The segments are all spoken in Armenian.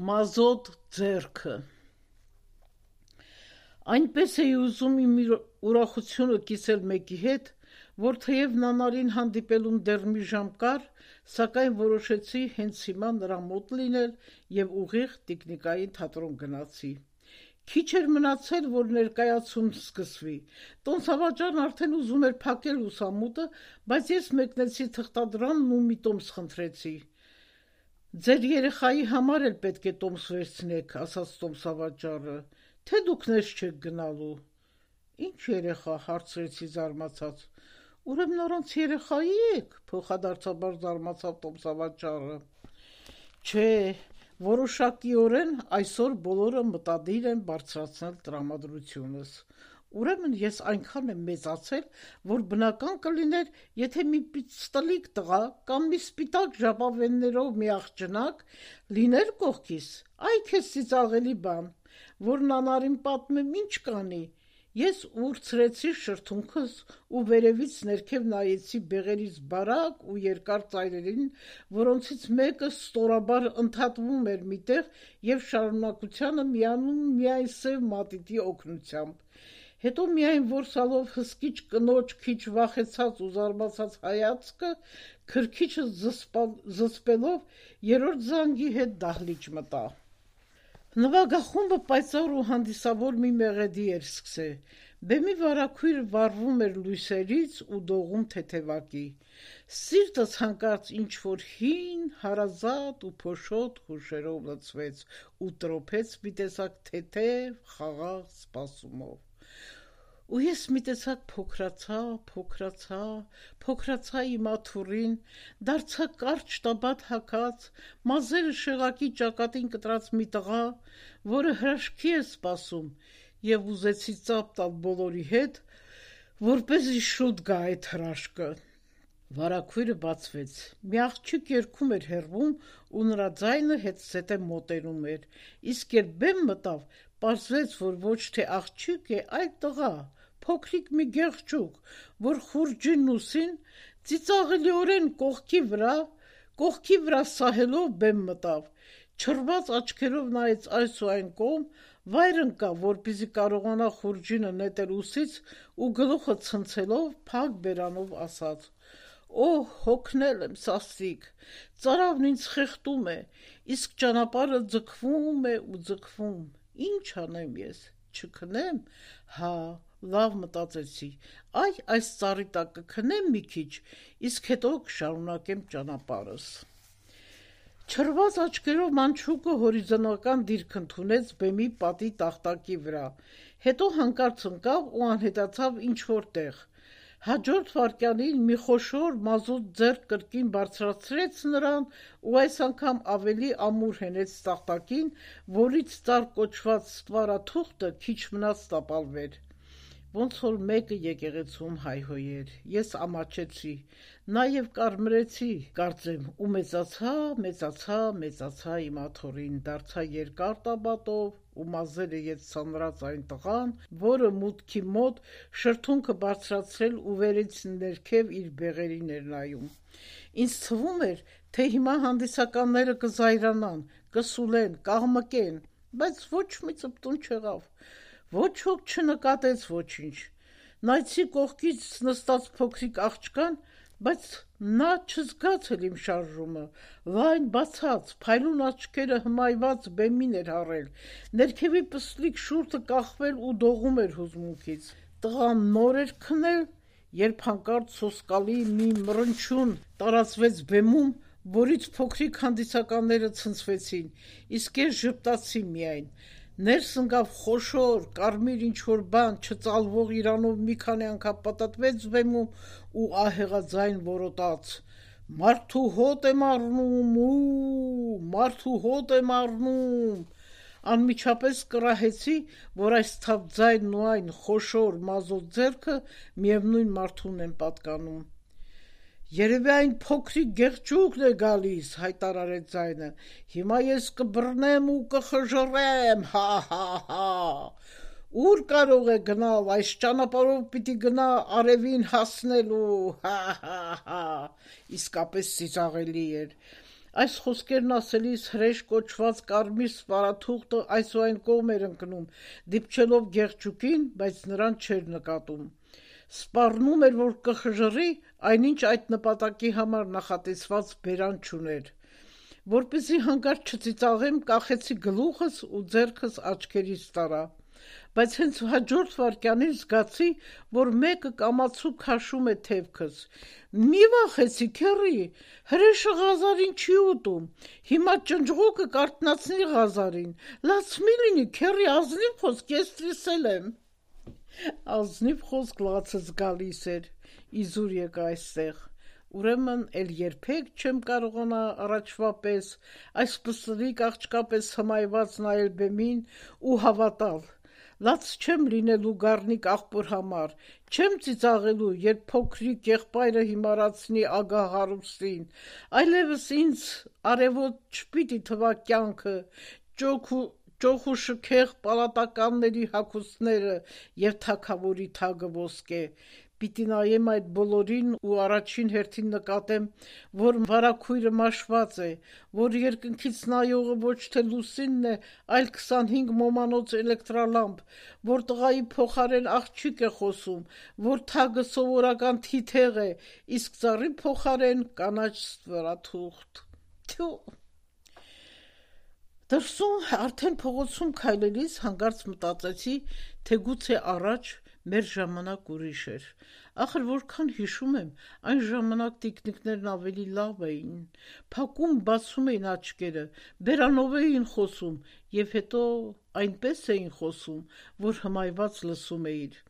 Մազոտ ձեռքը Այնպես էի ուզում իմ ուրախությունը կիսել մեկի հետ, որ թեև նանարին հանդիպելուն դեռ մի ժամ կար, սակայն որոշեցի հենց հիմա նրա մոտ լինել և ուղիղ տիկնիկային թատրոն գնացի։ Քիչ էր մնացել, որ ներկայացումն սկսվի։ Տոմսավաճառն արդեն ուզում էր փակել լուսամուտը, բայց ես մեկնեցի թղթադրանն ու մի տոմս խնդրեցի։ «Ձեր երեխայի համար էլ պետք է տոմս վերցնեք», ասաց տոմսավաճառը, «թե դուք ներս չեք գնալու»։ «Ինչ երեխա», հարցրեցի զարմացած։ «Ուրեմն առանց երեխայի եք», փոխադարձաբար զարմացավ տոմսավաճառը։ Չէ, որոշակիորեն այսօր բոլորը մտադիր են բարձրացնել տրամադրությունս։ Ուրեմն ես այնքան եմ մեծացել, որ բնական կլիներ, եթե մի պիծտլիկ տղա կամ մի սպիտակ ժապավեններով մի աղջնակ լիներ կողքիս, այ քեզ ծիծաղելի բան, որ նանարին պատմեմ ինչ կանի։ Ես ուրցրեցի շրթունքս ու վերևից ներքև նայեցի բեղերից բարակ ու երկար ծայրերին, որոնցից մեկը ստորաբար ընդհատվում էր միտեղ և շարունակությանը միանում միայն սև մատիտի օգնությամբ։ Հետո միայն որսալով հսկիչ կնոջ քիչ վախեցած ու զարմացած հայացքը, քրքիջս զսպելով երրորդ զանգի հետ դահլիճ մտա։ Նվագախումբը պայծառ ու հանդիսավոր մի մեղեդի էր սկսել։ Բեմի վարագույրը վառվում էր լույսերից ու դողում թեթևակի։ Սիրտս հանկարծ ինչ-որ հին, հարազատ ու փոշոտ հուշերով լցվեց ու տրոփեց մի տեսակ թեթև, խաղաղ սպասումով։ Ու ես մի տեսակ փոքրացա իմ աթոռին, դարձա կարճ տաբատ հագած, մազերը շեղակի ճակատին կտրած մի տղա, որը հրաշքի է սպասում, և ուզեցի ծափ տալ բոլորի հետ, որպեսզի շուտ գա այդ հրաշքը։ Վարագույրը բացվեց, մի աղջիկ երգում էր հեռվում ու նրա ձայնը հետզհետե մոտենում էր, իսկ երբ բեմ մտավ, պարզվեց, որ ոչ թե աղջիկ է, այլ տղա, փոքրիկ մի գեղջուկ, որ խուրջին ուսին ծիծաղելիորեն կողքի վրա սահելով բեմ մտավ, չռված աչքերով նայեց այս ու այն կողմ, վայր ընկավ, որպեսզի կարողանա խուրջինը նետել ուսից ու գլուխը ցնցելով փակ բերանով ասաց. «Օհ, հոգնել եմ, սաստիկ, ծարավն ինձ խեղդում է, իսկ ճանապարհը ձգվում է ու ձգվում, ինչ անեմ ես, չքնեմ, հա, լավ մտածեցի, այս ծառի տակ կքնեմ մի քիչ, իսկ հետո կշարունակեմ ճանապարհս»։ Չռված աչքերով մանչուկը հորիզոնական դիրք ընդունեց բեմի պատի տախտակի վրա, հետո հանկարծ ընկավ ու անհետացավ ինչ-որ տեղ։ Հաջորդ վայրկյանին մի խոշոր մազոտ ձեռք կրկին բարձրացրեց նրան ու այս անգամ ավելի ամուր հենեց տախտակին, որից ծառ կոչված ստվարաթուղթը քիչ մնաց տապալվեր։ Ոնց որ մեկը եկեղեցում հայհոյեր, ես ամաչեցի, նաև կարմրեցի, կարծեմ, ու մեծացա իմ աթոռին, դարձա երկար տաբատով ու մազերը ետ այն տղան, որը մուտքի մոտ շրթունքը բարձրացրել ու վերից ներքև իր բեղերին էր նայում։ Ինձ թվում էր, թե հիմա հանդիսականները կզայրանան, կսուլեն, կաղմկեն, բայց ոչ մի ծպտուն չեղավ։ Ոչ ոք չնկատեց ոչինչ։ Նայեցի կողքից նստած փոքրիկ աղջկան, բայց նա չզգաց էլ իմ շարժումը, լայն բացած, փայլուն աչքերը հմայված բեմին էր հառել, ներքևի պստլիկ շուրթը կախվել ու դողում էր հուզմունքից։ Տղան նոր էր քնել, երբ հանկարծ սոսկալի մի մռնչյուն տարածվեց բեմում, որից փոքրիկ հանդիսականները ցնցվեցին, իսկ ես ժպտացի միայն։ Ներս ընկավ խոշոր, կարմիր ինչ-որ բան, չծալվող իրանով մի քանի անգամ պտտվեց բեմում ու ահեղաձայն որոտաց. «Մարդու հոտ եմ առնում, մարդու հոտ եմ առնում»։ Անմիջապես կռահեցի, որ այս թավ ձայնն ու այն խոշոր մազոտ ձեռքը միևնույն մարդուն են պատկանում։ «Երևի այն փոքրիկ գեղջուկն է գալիս», հայտարարեց ձայնը, «հիմա ես կբռնեմ ու կխժռեմ, հա։ Ուր կարող է գնալ, այս ճանապարհով պիտի գնա արևին հասնելու, հա։ Իսկապես ծիծաղելի էր։ Այս խոսքերն ասելիս հրեշ կոչված կարմիր սպարաթուղթը այսուայն կողմ էր ընկնում, դիպչելով Գեղջուկին, բայց նրան չէր նկատում։ Սպառնում էր, որ կխժռի, այնինչ այդ նպատակի համար նախատեսված բերան չուներ։ Որպեսզի հանկարծ չծիծաղեմ, կախեցի գլուխս ու ձեռքս աչքերիս տարա։ Բայց հենց հաջորդ վայրկյանին զգացի, որ մեկը կամացու քաշում է թևքս։ Մի վախեցի, քեռի, հրեշը Ղազարին չի ուտում, հիմա ճնճղուկը կարթնացնի Ղազարին, լաց մի լինի, քեռի, ազնիվ խոսք, ես տրիսել եմ։ Ազնիվ խոսք լացս գալիս էր, իզուր եկա այստեղ։ Ուրեմն էլ երբեք չեմ կարողանա առաջվա պես այս պստլիկ աղջկա պես հմայված նայել բեմին ու հավատալ։ Լաց չեմ լինելու գառնիկ աղբոր համար, չեմ ծիծաղելու, երբ փոքրիկ եղբայրը հիմարացնի ագահ հարուստին, այլևս ինձ արևոտ չպիտի թվա կյանքը, ճոխ ու շքեղ պալատականների հագուստները և թագավորի թագը ոսկե։ Պիտի նայեմ այդ բոլորին ու առաջին հերթին նկատեմ, որ վարագույրը մաշված է, որ երկնքից նայողը ոչ թե լուսինն է, այլ 25 մոմանոց էլեկտրալամպ, որ տղայի փոխարեն աղջիկ է խոսում, որ թագը սովորական թիթեղ է, իսկ ծառի փոխարեն կանաչ ստվարաթուղթ։ Թյու։ Դրսում արդեն փողոցում քայլելիս հանկարծ մտածեցի, թե գուցե առաջ մեր ժամանակ ուրիշ էր։ Ախր որքան հիշում եմ, այն ժամանակ տիկնիկներն ավելի լավ էին, փակում բացում էին աչքերը, բերանով էին խոսում և հետո այնպես էին խոսում, որ հմայված լսում էիր։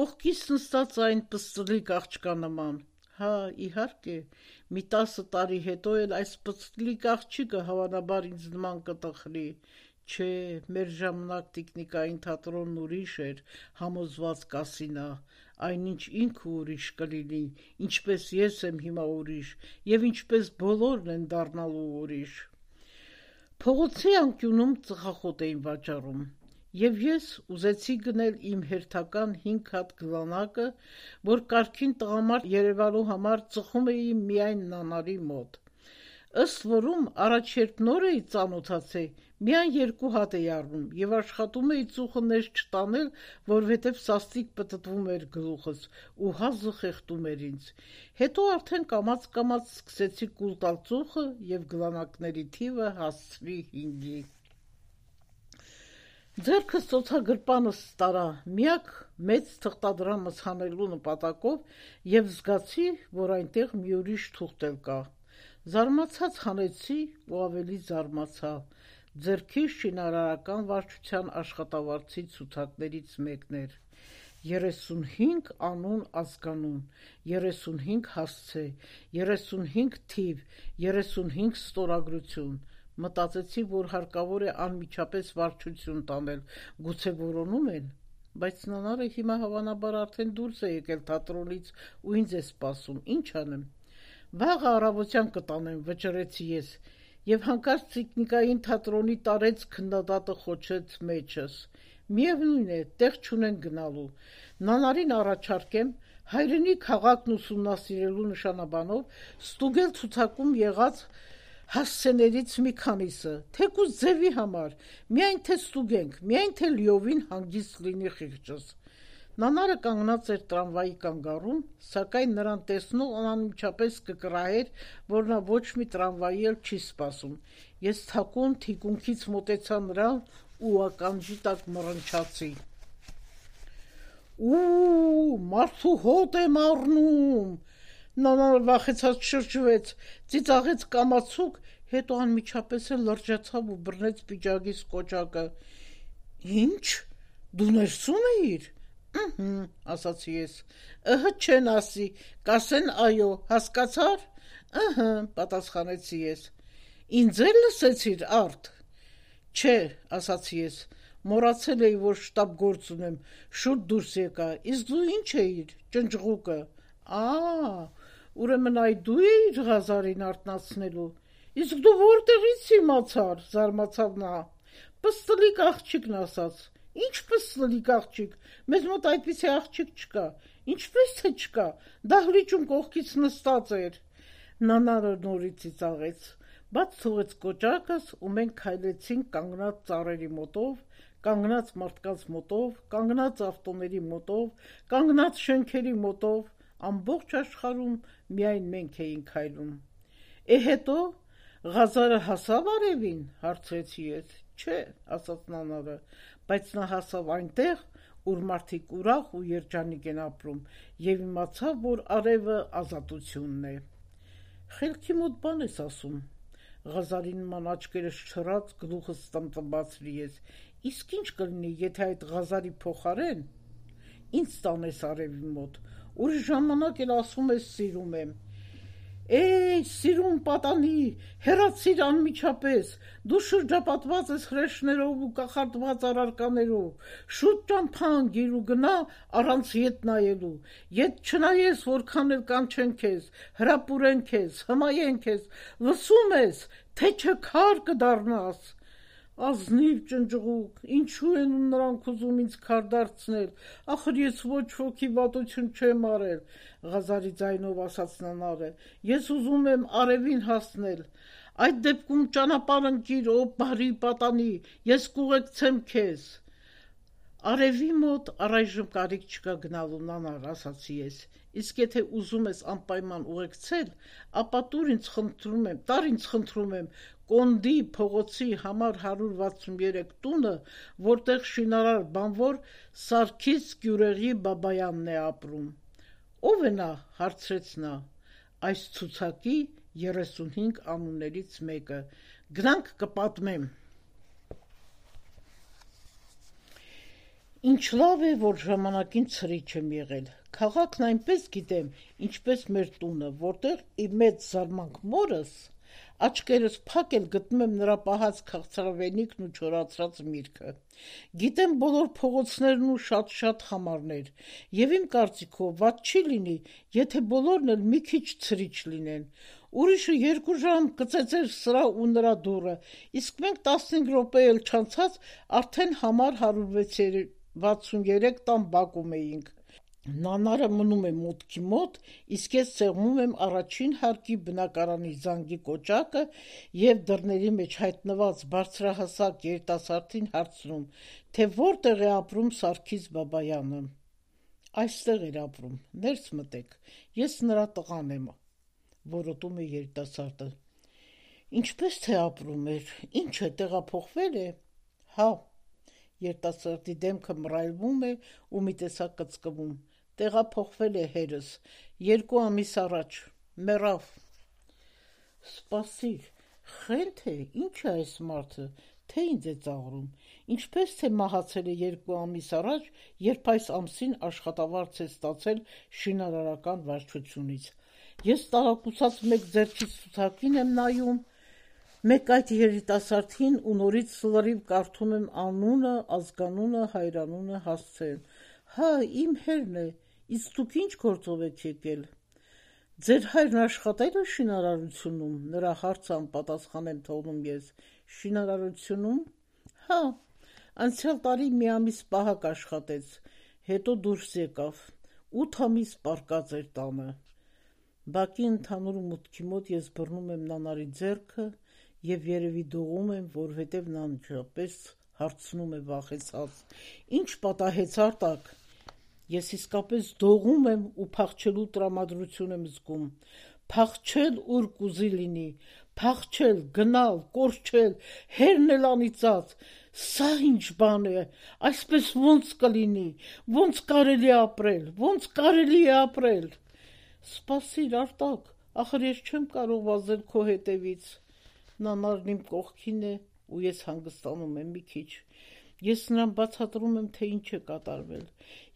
Կողքից նստած այն պստլիկ աղջկա նման։ Հա, իհարկե, մի 10 տարի հետո էլ այս պստլիկ աղջիկը հավանաբար ինձ նման կտխրի։ Չէ, մեր ժամանակ տիկնիկային թատրոնն ուրիշ էր, համոզված կասի նա, այնինչ ինքը ուրիշ կլինի, ինչպես ես եմ հիմա ուրիշ, և ինչպես բոլորն են դառնալու ուրիշ։ Փողոցի անկյունում ծխախոտ էին վաճառում, և ես ուզեցի գնել իմ հերթական 5 հատ գլանակը, որ կարգին տղամարդ երևալու համար ծխում էի միայն նանարի մոտ։ Ըստ որում, առաջ երբ նոր էի ծանոթացել, միայն 2 հատ էի առնում և աշխատում էի ծուխը ներս չտանել, որովհետև սաստիկ պտտվում էր գլուխս ու հազը խեղդում էր ինձ։ Հետո արդեն կամաց-կամաց սկսեցի կուլ տալ ծուխը և գլանակների թիվը հասցրի 5-ի։ Ձեռքս ծոցագրպանս տարա միակ մեծ թղթադրամս հանելու նպատակով և զգացի, որ այնտեղ մի ուրիշ թուղթ էլ կա։ Զարմացած հանեցի ու ավելի զարմացա։ Ձեռքիս շինարարական վարչության աշխատավարձի ցուցակներից մեկն էր։ 35 անուն ազգանուն, 35 հասցե, 35 թիվ, 35 ստորագրություն։ Մտածեցի, որ հարկավոր է անմիջապես վարչություն տանել, գուցե որոնում են, բայց նանարը հիմա հավանաբար արդեն դուրս է եկել թատրոնից ու ինձ է սպասում, ինչ անեմ։ Վաղը առավոտյան կտանեմ, վճռեցի ես, և հանկարծ տիկնիկային թատրոնի տարեց քննադատը խոչեց մեջս։ Միևնույն է, տեղ չունեն գնալու։ Նանարին առաջարկեմ հայրենի քաղաքն ուսումնասիրելու նշանաբանով ստուգել ցուցակում եղած հասցեներից մի քանիսը, թեկուզ ձևի համար, միայն թե ստուգենք, միայն թե լիովին հանգիստ լինի խիղճս։ Նանարը կանգնած էր տրամվայի կանգառում, սակայն նրան տեսնող անմիջապես կկռահեր, որ նա ոչ մի տրամվայի էլ չի սպասում։ Ես թակուն թիկունքից մոտեցա նրան ու ականջի տակ մռնչացի. «Ու, մարդու հոտ եմ առնում»։ Նանարը վախեցած շրջվեց, ծիծաղեց կամացուկ, հետո անմիջապես էլ լրջացավ ու բռնեց պիջակիս կոճակը։ «Ինչ, դու ներսում էիր»։ «Ըհը», ասացի ես։ «Ըհը չեն ասի, կասեն այո, հասկացար»։ «Ըհը», պատասխանեցի ես։ «Ինձ էլ լսեցիր, արդ»։ «Չէ», ասացի ես, մոռացել էի, որ շտապ գործ ունեմ, շուտ դուրս եկա, իսկ դու ինչ էիր, ճնճղուկը։ Ուրեմն այ դու էիր Ղազարին արթնացնելու։ Իսկ դու որտեղից իմացար, զարմացավ նա։ Պստլիկ աղջիկն ասաց։ Ինչ պստլիկ աղջիկ, մեզ մոտ այդպիսի աղջիկ չկա։ Ինչպես թե չկա, դահլիճում կողքից նստած էր։ Նանարը նորից ծիծաղեց։ Բաց թողեց կոճակս ու մենք քայլեցինք կանգնած ծառերի մոտով, կանգնած մարդկանց մոտով, կանգնած ավտոների մոտով, կանգնած շենքերի մոտով, ամբողջ աշխարհում միայն մենք էինք քայլում։ Հետո Ղազարը հասավ արևին, հարցրեցի ես։ Չէ, ասաց նանարը, բայց նա հասավ այնտեղ, ուր մարդիկ ուրախ ու երջանիկ են ապրում, եւ իմացավ, որ արևը ազատությունն է։ Խելքի մոտ բան ես ասում։ Ղազարի նման աչքերս չռած, գլուխս տմտմացրի ես։ Իսկ ինչ կլինի, եթե այդ Ղազարի փոխարեն ինձ տանես արևի մոտ, ուրիշ ժամանակ էլ ասում ես սիրում եմ։ Սիրուն պատանի, հեռացիր անմիջապես, դու շրջապատված ես հրեշներով ու կախարդված առարկաներով, շուտ ճամփան ու գնա առանց ետ նայելու, ետ չնայես, որքան էլ կանչեն քեզ, հրապուրեն քեզ, հմայեն քեզ, լսում ես, թե չէ քար կդառնաս։ Ազնիվ ճնճղուկ, ինչու են նրանք ուզում ինձ քար դարձնել, ախր ես ոչ ոքի վատություն չեմ արել, Ղազարի ձայնով ասաց նանարը, ես ուզում եմ արևին հասնել, այդ դեպքում ճանապարհ ընկիր, ո բարի պատանի, ես կուղեկցեմ քեզ։ Արևի մոտ առայժմ կարիք չկա գնալու, նանար, ասացի ես, իսկ եթե ուզում ես անպայման ուղեկցել, ապա տար ինձ խնդրում եմ, Կոնդի փողոցի համար 163 տունը, որտեղ շինարար բանվոր Սարգիս Գյուրեղի Բաբայանն է ապրում։ Ո՞վ է նա, հարցրեց նա։ Այս ցուցակի 35 անուններից մեկը։ Գնանք կպատմեմ։ Ինչ լավ է, որ ժամանակին ցրիչ եմ եղել։ Քաղաքն այնպես գիտեմ, ինչպես մեր տունը, որտեղ իմ մեծ զարմանք մորս աչքերս փակ էլ գտնում եմ նրա պահած քաղցրավենիքն ու չորացրած միրգը։ Գիտեմ բոլոր փողոցներն ու շատ խամարներ, եւ իմ կարծիքով վատ չի լինի, եթե բոլորն էլ մի քիչ ցրիչ լինեն։ Ուրիշը 2 ժամ կծեծեր սրա ու նրա դուռը, իսկ մենք 15 րոպե էլ չանցած արդեն համար 163 տան բակում էինք։ Նանարը մնում է մուտքի մոտ, իսկ ես ցեղում եմ առաջին հարկի բնակարանի զանգի կոճակը եւ դռների մեջ հայտնված բարձրահասակ երիտասարդին հարցնում, թե որտեղ է ապրում Սարգիս Բաբայանը։ Այստեղ էր ապրում, ներս մտեք, ես նրա տղան եմ, որոտում է երիտասարդը։ Ինչպես թե ապրում էր, ինչ է, տեղափոխվել է։ Հա, երիտասարդի դեմքը մռայլվում է ու մի տեսակ կծկվում։ Տեղափոխվել է հերս, 2 ամիս առաջ, մեռավ։ Սպասիր, խենթ է, ինչ է այս մարդը, թե ինձ է ծաղրում, ինչպես թե մահացել է 2 ամիս առաջ, երբ այս ամսին աշխատավարձ է ստացել շինարարական վարչությունից։ Ես տարակուսած մեկ ձեռքից ցուցակին եմ նայում, մեկ այդ երիտասարդին ու նորից լրիվ կարդում եմ անունը, ազգանունը, հայրանունը, հասցեն։ Հա, իմ հերն է, իսկ դուք ինչ գործով եք եկել։ Ձեր հայրն աշխատել է շինարարությունում, նրա հարցը անպատասխան եմ թողնում ես։ Շինարարությունում։ Հա, անցյալ տարի մի ամիս պահակ աշխատեց, հետո դուրս եկավ, 8 ամիս պառկած էր տանը։ Բակի ընդհանուր մուտքի մոտ ես բռնում եմ նանարի ձեռքը եւ երևի դողում եմ, որովհետեւ նա անջապես հարցնում է վախեցած. Ինչ պատահեց Արտակ։ Ես իսկապես դողում եմ ու փախչելու տրամադրություն եմ զգում։ Փախչել ուր կուզի լինի, փախչել, գնալ, կորչել, հերն էլ անիծած։ Սա ինչ բան է, այսպես ոնց կլինի, ոնց կարելի է ապրել։ Սպասիր, Արտակ, ախր ես չեմ կարող վազել քո հետևից։ Նանարն իմ կողքին է ու ես հանգստանում եմ մի քիչ։ Ես նրան բացատրում եմ, թե ինչ է կատարվել։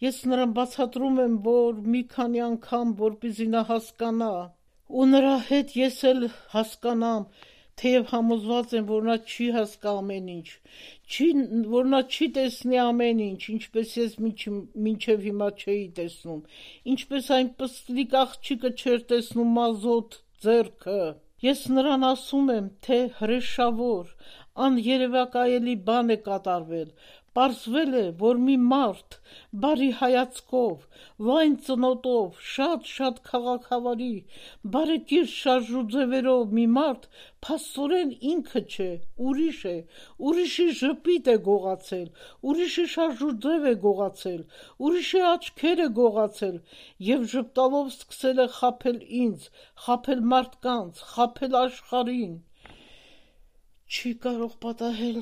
Ես նրան բացատրում եմ, որ մի քանի անգամ, որպեսզի նա հասկանա, ու նրա հետ ես էլ հասկանամ, թեև համոզված եմ, որ նա չի հասկա ամեն ինչ, որ նա չի տեսնի ամեն ինչ, ինչպես ես մինչև հիմա չէի տեսնում, ինչպես այն պստլիկ աղջիկը չէր տեսնում մազոտ ձեռքը։ Ես նրան ասում եմ, թե հրեշավոր, աներևակայելի բան է կատարվել, Պարզվել է, որ մի մարդ բարի հայացքով, լայն ծնոտով, շատ քաղաքավարի, բարեկիրթ շարժուձևերով մի մարդ փաստորեն ինքը չէ, ուրիշ է, ուրիշի ժպիտ է գողացել, ուրիշի շարժուձև է գողացել, ուրիշի աչքեր է գողացել և ժպտալով սկսել է խաբել ինձ, խաբել մարդկանց, խաբել աշխարհին։ Չի կարող պատահել։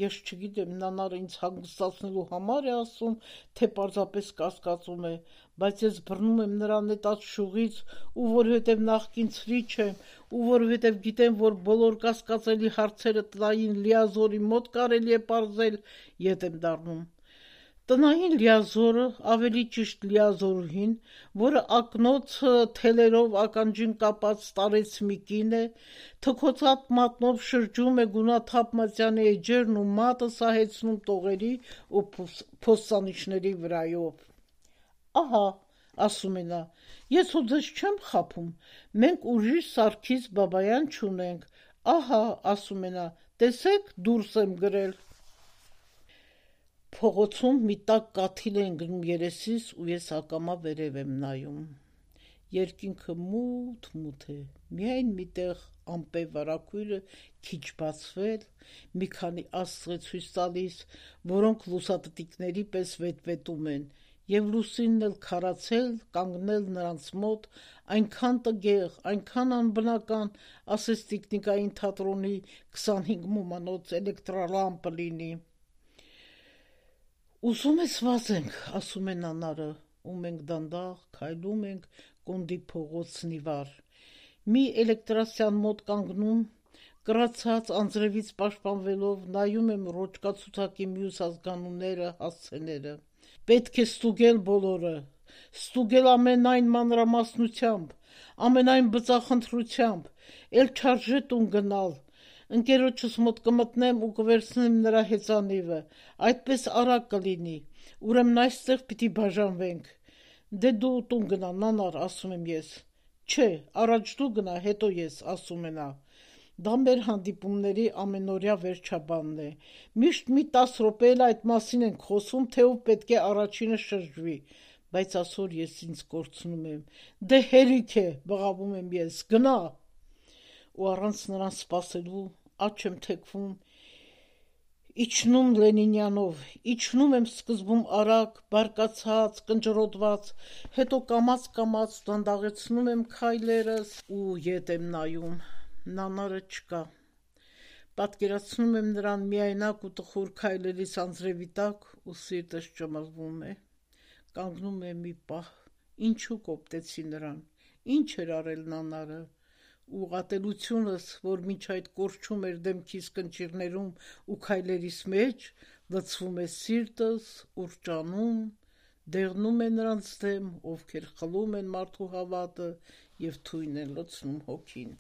Ես չգիտեմ, նանարը ինձ հանգստացնելու համար է ասում, թե պարզապես կասկածում է, բայց ես բռնում եմ նրա նետած շուղից, ու որովհետև նախկին ցրիչ եմ, ու որովհետև գիտեմ, որ բոլոր կասկածելի հարցերը տնային լիազորի մոտ կարելի է պարզել, ետ եմ դառնում։ Տնային լիազորը, ավելի ճիշտ լիազորուհին, որը ակնոցը թելերով ականջին կապած տարեց մի կին է, թքոցատ մատնով շրջում է գունաթափ մատյանի էջերն ու մատը սահեցնում տողերի ու փոստանիշների վրայով։ Ահա, ասում է նա, ես ու ձեզ չեմ խաբում, մենք ուրիշ Սարգիս Բաբայան չունենք, ահա, ասում է նա, տեսեք, դուրս եմ գրել։ Փողոցում մի տաք կաթիլ է ընկնում երեսիս ու ես ակամա վերև եմ նայում։ Երկինքը մութ է, միայն միտեղ ամպե վարագույրը քիչ բացվել, մի քանի աստղ է ցույց տալիս, որոնք լուսատտիկների պես վետվետում են, և լուսինն էլ քարացել, կանգնել նրանց մոտ, այնքան տգեղ, այնքան անբնական, ասես տիկնիկային թատրոնի 25 մոմանոց էլեկտրալամպը լինի։ Ուզում ես վազենք, ասում է նանարը, ու մենք դանդաղ քայլում ենք Կոնդի փողոցն ի վար։ Մի էլեկտրասյան մոտ կանգնում, կռացած անձրևից պաշտպանվելով նայում եմ ռոճկացուցակի մյուս ազգանունները, հասցեները։ Պետք է ստուգել բոլորը, ստուգել ամենայն մանրամասնությամբ, ամենայն բծախնդրությամբ, էլ չարժե տուն գնալ, ընկերոջս մոտ կմտնեմ ու կվերցնեմ նրա հեծանիվը, այդպես արագ կլինի, ուրեմն այստեղ պիտի բաժանվենք։ Դե դու տուն գնա, նանար, ասում եմ ես։ Չէ, առաջ դու գնա, հետո ես, ասում է նա։ Դա մեր հանդիպումների ամենօրյա վերջաբանն է։ Միշտ մի 10 րոպե էլ այդ մասին ենք խոսում, թե ով պետք է առաջինը շրջվի, բայց այսօր ես ինձ կորցնում եմ։ Դե հերիք է, բղավում եմ ես, գնա։ Ու առանց նրան սպասելու աջ եմ թեքվում, իջնում Լենինյանով, իջնում եմ սկզբում արագ, բարկացած, կնճռոտված, հետո կամաց դանդաղեցնում եմ քայլերս ու ետ եմ նայում, նանարը չկա։ Պատկերացնում եմ նրան միայնակ ու տխուր քայլերից անձրևի տակ ու սիրտս ճմղվում է։ Կանգնում է մի պահ, ինչու կոպտեցի նրան, ինչ էր արել նանարը, ու ատելությունս, որ մինչ այդ կորչում էր դեմքիս կնճիռներում ու քայլերիս մեջ, լցվում է սիրտս, ուռճանում, դեղնում է նրանց դեմ, ովքեր խլում են մարդու հավատը և թույն են լցնում հոգին։